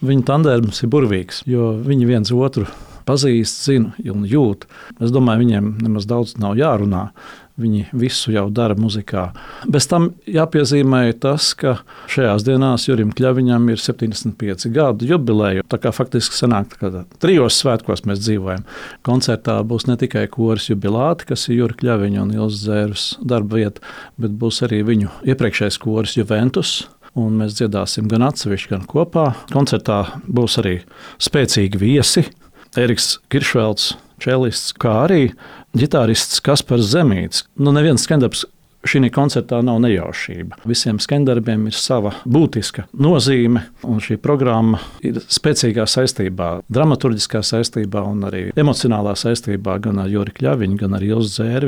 Viņu tandēms ir burvīgs, jo viņi viens otru pazīst, zina un jūt. Es domāju, viņiem nemaz daudz nav jārunā. Viņi visu jau dara muzikā. Bez tam jāpiezīmē tas, ka šajās dienās Jurim Kļaviņam ir 75 gadu jubileja. Tā kā faktiski sanāk, ka trijos svētkos mēs dzīvojam. Koncertā būs ne tikai koris jubilāti, kas ir Jura Kļaviņa un Ilzas Zērves darba vieta, bet būs arī viņu iepriekšējais koris Juventus. Un mēs dziedāsim gan atsevišķi, gan kopā. Koncertā būs arī spēcīgi viesi. Eriks Kiršvelds, čelists, kā arī ģitārists Kaspars Zemīts. Neviens skandarbs šī koncertā nav nejaušība. Visiem skandarbiem ir sava būtiska nozīme, un šī programma ir spēcīgā saistībā, dramaturģiskā saistībā un arī emocionālā saistībā gan ar Juri Kļaviņu, gan ar Ilzu Zērvi.